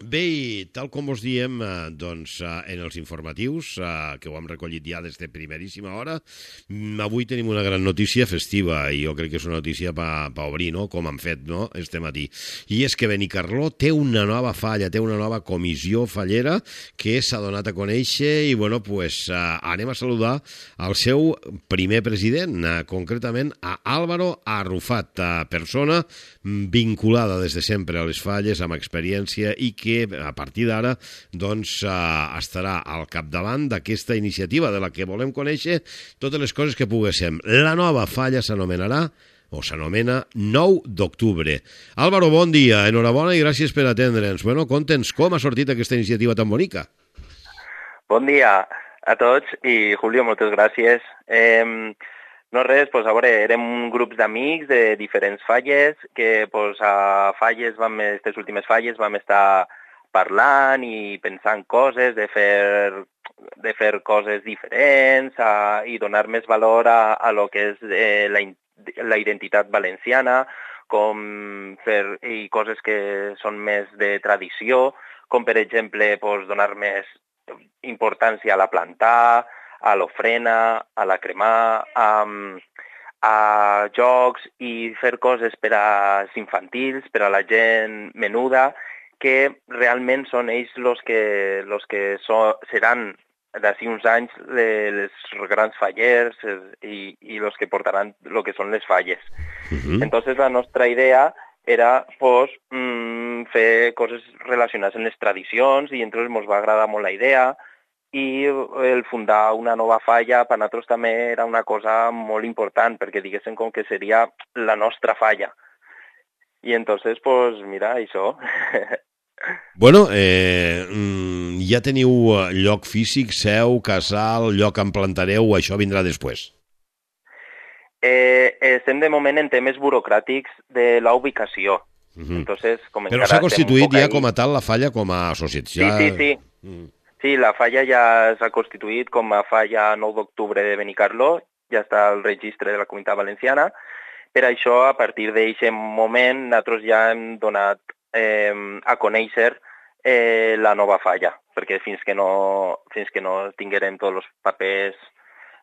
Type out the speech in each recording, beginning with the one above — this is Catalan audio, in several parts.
Bé, i tal com us diem en els informatius, que ho hem recollit ja des de primeríssima hora, avui tenim una gran notícia festiva, i jo crec que és una notícia per obrir, no?, com han fet, no?, este matí. I és que Benicarló té una nova falla, té una nova comissió fallera que s'ha donat a conèixer i, bueno, pues anem a saludar al seu primer president, concretament a Álvaro Arrufat, persona vinculada des de sempre a les falles, amb experiència i que a partir d'ara doncs, estarà al capdavant d'aquesta iniciativa de la que volem conèixer totes les coses que poguéssim. La nova falla s'anomenarà o s'anomena 9 d'octubre. Álvaro, bon dia, enhorabona i gràcies per atendre'ns. Bueno, conta'ns com ha sortit aquesta iniciativa tan bonica. Bon dia a tots i, Julio, moltes gràcies. No res, pues, a veure, érem grups d'amics de diferents falles que pues, a falles, aquestes últimes falles vam estar parlant i pensant coses, de fer coses diferents i donar més valor a lo que és la identitat valenciana, com fer coses que són més de tradició, com per exemple pues, donar més importància a la plantar, a l'ofrena, a la cremar, a jocs i fer coses per als infantils, per a la gent menuda, que realment són ells els que seran d'ací uns anys les grans fallers i els que portaran el que són les falles. Entonces la nostra idea era pues, fer coses relacionades amb les tradicions i entonces ens va agradar molt la idea i el fundar una nova falla per nosaltres també era una cosa molt important perquè diguéssim com que seria la nostra falla. I entonces, pues mira, això. Bueno, ja teniu lloc físic, seu, casal, lloc on plantareu, això vindrà després? Estem de moment en temes burocràtics de la ubicació. Entonces, però s'ha constituït ja com a tal la falla com a associació? Sí. Sí, la falla ja s'ha constituït com a falla 9 d'octubre de Benicarló, ja està al registre de la Comunitat Valenciana. Per això, a partir d'aquest moment, nosaltres ja hem donat a conèixer la nova falla, perquè fins que no tinguérem tots els papers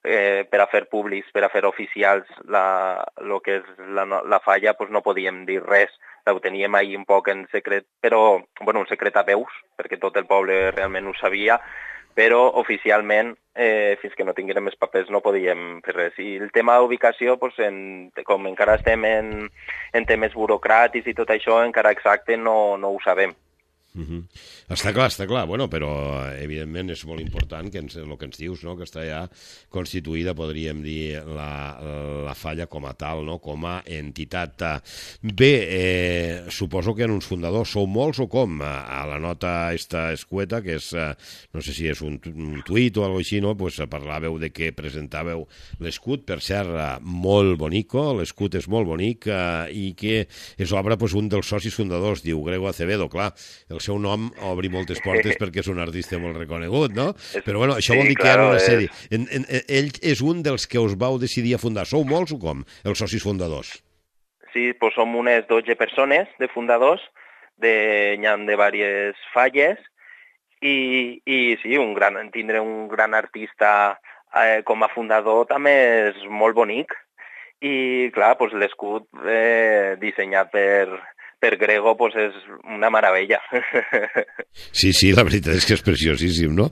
per a fer públics, per a fer oficials el que és la falla, doncs no podíem dir res. Ho teníem ahir un poc en secret, però, bueno, un secret a veus, perquè tot el poble realment ho sabia, però oficialment, fins que no tinguérem els papers, no podíem fer res. I el tema d'ubicació, doncs, com encara estem en temes burocràtics i tot això, encara exacte no ho sabem. Està clar, bueno, però evidentment és molt important que el que ens dius, no?, que està ja constituïda, podríem dir, la falla com a tal, no?, com a entitat. Bé, suposo que en uns fundadors sou molts o com? A la nota esta escueta, que és, no sé si és un tuit o alguna cosa així, no?, pues parlàveu de que presentàveu l'escut, per cert, molt bonico, l'escut és molt bonic i que és obra pues, un dels socis fundadors, diu Grego Acevedo, clar, el seu nom obri moltes portes perquè és un artista molt reconegut, no? Però bueno, això vol dir que hi ha una sèrie. Ell és un dels que us vau decidir a fundar. Sou molts o com, els socis fundadors? Sí, doncs som unes 12 persones de fundadors, n'hi ha de diverses falles, i sí, tindre un gran artista com a fundador també és molt bonic. I clar, doncs l'escut dissenyat per Grego pues és una meravella. Sí, la veritat és que és preciosíssim, no?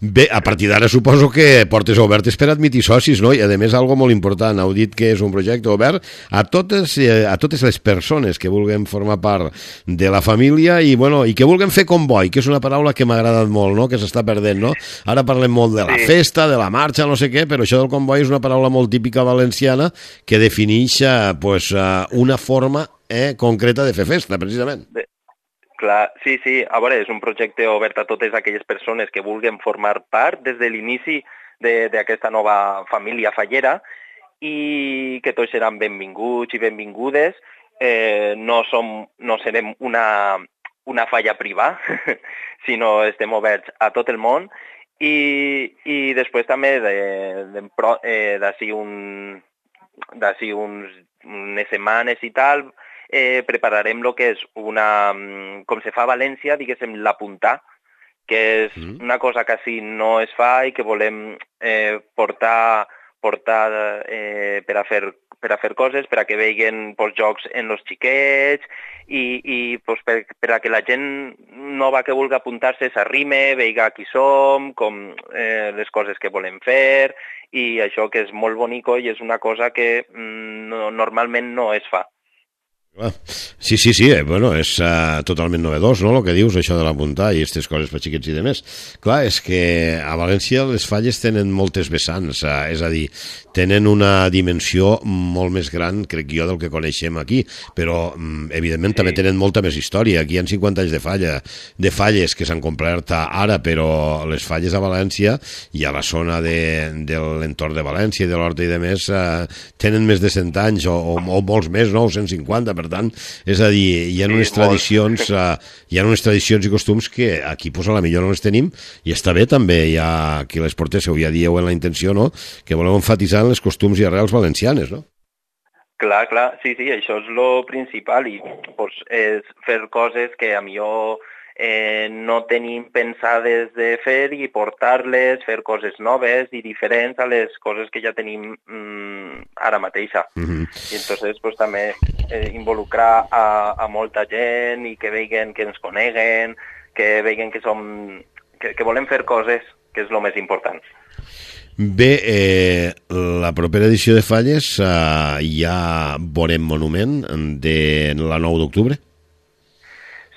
Bé, a partir d'ara suposo que portes obertes per admitir socis, no? I a més, algo molt important, heu dit que és un projecte obert a totes les persones que vulguem formar part de la família i, bueno, i que vulguem fer comboi, que és una paraula que m'ha agradat molt, no?, que s'està perdent, no? Ara parlem molt de la festa, de la marxa, no sé què, però això del comboi és una paraula molt típica valenciana que defineix pues, una forma concreta de fer festa, precisament. Clar, sí, a veure, és un projecte obert a totes aquelles persones que vulguin formar part des de l'inici d'aquesta nova família fallera i que tots seran benvinguts i benvingudes. No serem una falla privada, sinó estem oberts a tot el món i després també d'ací unes setmanes i tal prepararem el que és una, com se fa a València, diguéssim, l'apuntar, que és una cosa que així no es fa i que volem portar per a fer coses, per a que vegin pues, jocs en els xiquets i pues, per a que la gent nova que vulgui apuntar-se s'arrime, veiga qui som, com les coses que volem fer i això que és molt bonico i és una cosa que normalment no es fa. Sí, bueno, és totalment novedós, no?, el que dius, això de l'apuntar i aquestes coses per xiquets i demés. Clar, és que a València les falles tenen moltes vessants, és a dir, tenen una dimensió molt més gran, crec jo, del que coneixem aquí, però, evidentment, també tenen molta més història. Aquí hi ha 50 anys de falles que s'han complert ara, però les falles a València i a la zona de l'entorn de València i de l'Horta i demés tenen més de 100 anys o molts més, no?, 150, per tant, és a dir, hi ha unes tradicions i costums que aquí pues, a la millor no les tenim i està bé també, hi ha qui les portéssiu, ja dieu en la intenció, no?, que voleu enfatitzar en les costums i arrels valencianes, no? Clar, sí, això és lo principal i pues, és fer coses que a millor no tenim pensades de fer i portar-les, fer coses noves i diferents a les coses que ja tenim ara mateixa. I entonces pues, també involucrar a molta gent i que vegin que ens coneguen, que vegin que que volem fer coses, que és el més important. Bé, la propera edició de Falles ja veurem monument de la 9 d'octubre?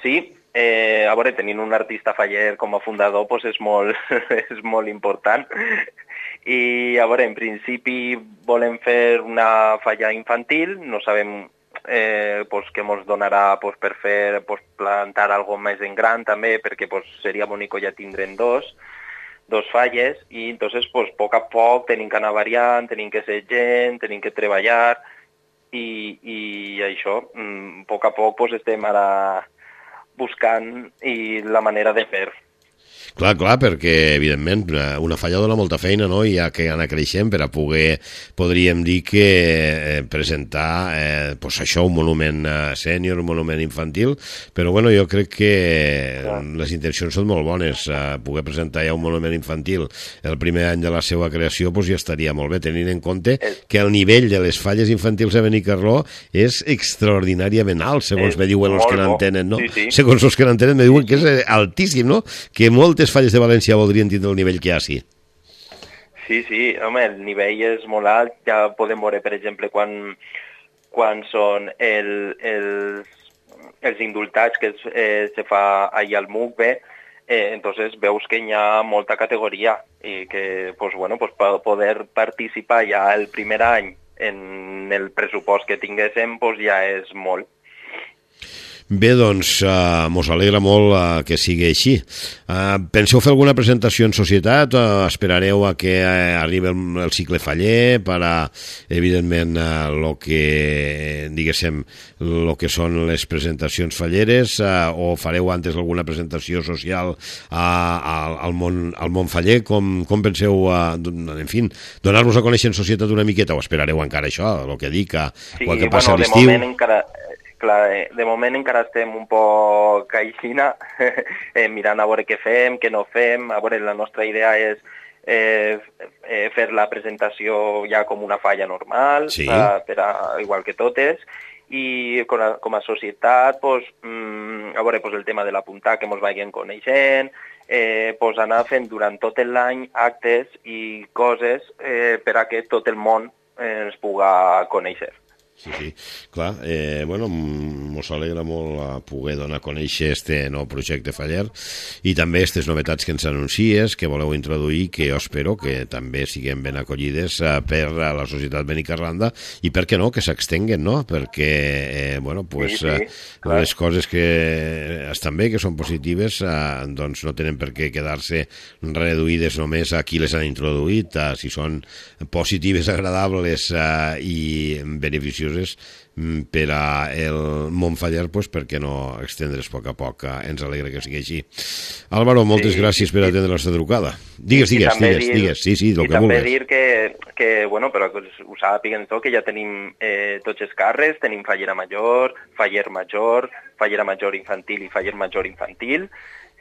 Sí, a veure, tenint un artista faller com a fundador doncs és molt important. I a veure, en principi volem fer una falla infantil, no sabem pues, què ens donarà pues, per fer pues, plantar algo més en gran també, perquè pues, seria bonic ja tindrem dos falles i entonces pues, a poc tenim que anar variant, tenim que ser gent, tenim que treballar i això, a poc pues, estem ara buscant i la manera de fer. Clar, perquè, evidentment, una falla dona molta feina, no?, i ha que anar creixent per a poder, podríem dir que presentar, pues això, un monument sènior, un monument infantil, però, bueno, jo crec que les intencions són molt bones. Poder presentar ja un monument infantil el primer any de la seva creació, pues ja estaria molt bé, tenint en compte que el nivell de les falles infantils a Benicarló és extraordinàriament alt, segons me diuen els que n'entenen, no? Sí. Segons els que n'entenen me diuen que és altíssim, no?, que moltes falles de València voldrien tindre el nivell que hi ha, sí. Sí, home, el nivell és molt alt. Ja podem veure, per exemple, quan són els indultats que se fa allà al MUCBE, entonces veus que hi ha molta categoria i que pues, bueno, pues, poder participar ja el primer any en el pressupost que tinguéssim pues, ja és molt. Bé, doncs, mos alegra molt que sigui així. Penseu fer alguna presentació en societat? Esperareu a que arribi el cicle faller per a, evidentment, el que són les presentacions falleres, o fareu antes alguna presentació social al món faller? Com penseu, en fi, donar-vos a conèixer en societat una miqueta, o esperareu encara això, el que dic, el que passa a l'estiu? De moment encara... Clar, de moment encara estem un poc aixina, mirant a veure què fem, què no fem. A veure, la nostra idea és fer la presentació ja com una falla normal, sí. Igual que totes, i com a societat, pues, a veure, pues, el tema de l'apuntar, que ens vagin coneixent, pues, anar fent durant tot l'any actes i coses per a que tot el món ens puga conèixer. Sí, clar, bueno, mos alegra molt poder donar a conèixer este nou projecte faller i també aquestes novetats que ens anuncies, que voleu introduir, que jo espero que també siguem ben acollides per a la societat benicarlanda i per què no, que s'extenguen, no? Perquè, bueno, pues, les coses que estan bé, que són positives, doncs no tenen per què quedar-se reduïdes només a qui les han introduït, si són positives, agradables i beneficioses beneficioses per a el Montfaller, pues, per què no extendre's a poc. Ens alegra que sigui així. Álvaro, moltes gràcies per atendre la nostra trucada. Digues. Sí, el que vulguis. També dir que bueno, però que ho sàpiguen tot, que ja tenim tots els càrrecs, tenim fallera major, fallera major infantil i faller major infantil,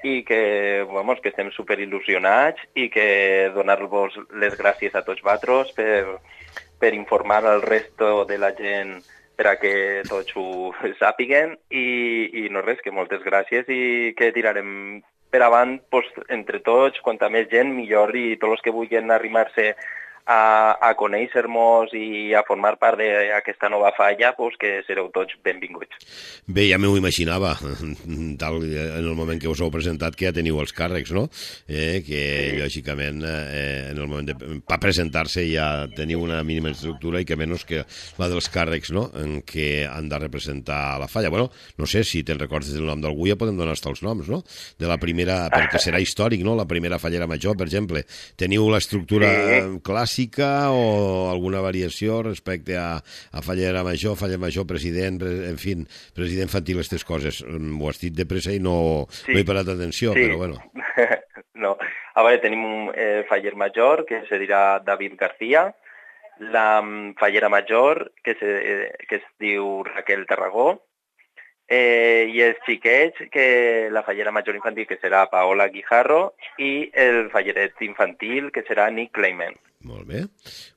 i que, vamos, que estem superil·lusionats i que donar-vos les gràcies a tots vosaltres per informar al resto de la gent per a que tots ho sàpiguen i no res, que moltes gràcies i que tirarem per avant pues, entre tots, quanta més gent millor i tots els que vulguin arrimar-se a conèixer-nos i a formar part d'aquesta nova falla, pues, que sereu tots benvinguts. Bé, ja m'ho imaginava, tal en el moment que us heu presentat, que ja teniu els càrrecs, no? Que, lògicament, en el moment per presentar-se ja teniu una mínima estructura i que menys que la dels càrrecs, no?, en què han de representar la falla. Bueno, no sé, si te'n recordes del nom d'algú, ja podem donar els noms, no?, de la primera, perquè serà històric, no?, la primera fallera major, per exemple. Teniu l'estructura clàssica o alguna variació respecte a fallera major, president, en fi, president infantil, aquestes coses. Ho has dit de pressa i no he parat atenció, però bueno. No, a veure, tenim un faller major, que se dirà David García, la fallera major, que es diu Raquel Tarragó, i els xiquets, que la fallera major infantil, que serà Paola Guijarro, i el falleret infantil, que serà Nick Clayman. Molt bé.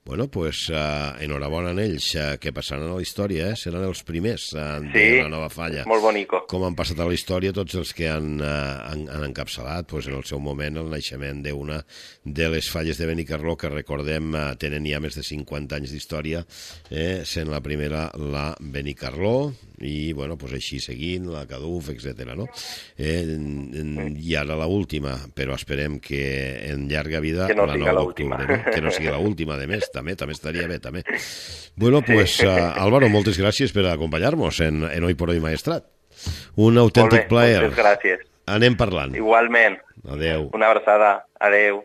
Bueno, pues enhorabona a ells, que passaran a la història, seran els primers de la nova falla. Molt bonico. Com han passat a la història tots els que han encapçalat pues, en el seu moment el naixement d'una de les falles de Benicarló, que recordem tenen ja més de 50 anys d'història, sent la primera la Benicarló, i bueno, pues així seguint, la Caduf, etc. No? I ara l'última, però esperem que en llarga vida que no la 9 d'octubre, no? Que no sigui l'última, de més, també estaria bé, també. Bueno, pues, Álvaro, moltes gràcies per acompanyar-nos en Hoy por Hoy Maestrat. Un autèntic plaer. Moltes gràcies. Anem parlant. Igualment. Adeu. Una abraçada. Adeu.